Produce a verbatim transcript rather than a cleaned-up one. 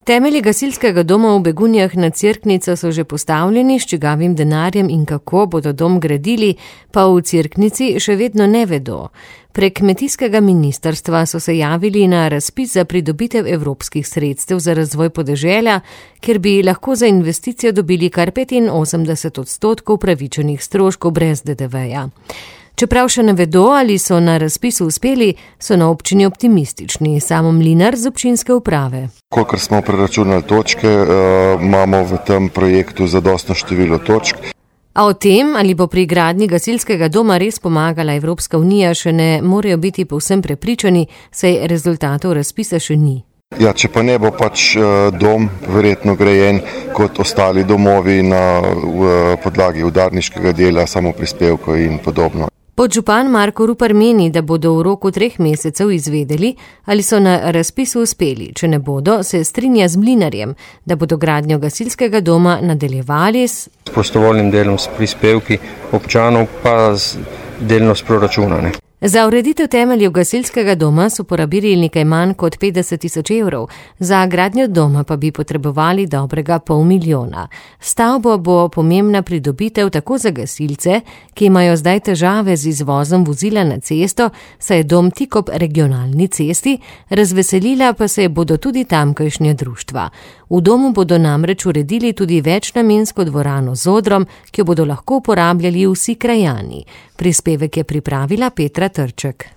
Temelji gasilskega doma v Begunjah nad Cerknico so že postavljeni, s čigavim denarjem in kako bodo dom gradili, pa v Cerknici še vedno ne vedo. Prek kmetijskega ministrstva so se javili na razpis za pridobitev evropskih sredstev za razvoj podeželja, kjer bi lahko za investicijo dobili kar petinosemdeset odstotkov pravičenih stroškov brez de de veja. Čeprav še ne vedo, ali so na razpisu uspeli, so na občini optimistični. Samo Mlinar z občinske uprave. Kolikor smo preračunali točke, imamo v tem projektu zadostno število točk. A o tem, ali bo pri gradnji gasilskega doma res pomagala Evropska unija, še ne morejo biti povsem prepričani, saj rezultatov razpisa še ni. Ja, če pa ne bo pač dom verjetno grajen kot ostali domovi na podlagi udarniškega dela, samoprispevkov in podobno. Podžupan Marko Rupar meni, da bodo v roku treh mesecev izvedeli, ali so na razpisu uspeli. Če ne bodo, se strinja z Mlinarjem, da bodo gradnjo gasilskega doma nadaljevali s prostovoljnim delom, s prispevki občanov, pa z delno s proračuna. Ne? Za ureditev temeljev gasilskega doma so porabili nekaj manj kot petdeset tisoč evrov, za gradnjo doma pa bi potrebovali dobrega pol milijona. Stavbo bo pomembna pridobitev tako za gasilce, ki imajo zdaj težave z izvozom vozila na cesto, saj je dom tik ob regionalni cesti, razveselila pa se bodo tudi tamkajšnja društva. V domu bodo namreč uredili tudi večnamensko dvorano z odrom, ki jo bodo lahko uporabljali vsi krajani. Prispevek je pripravila Petra Trček.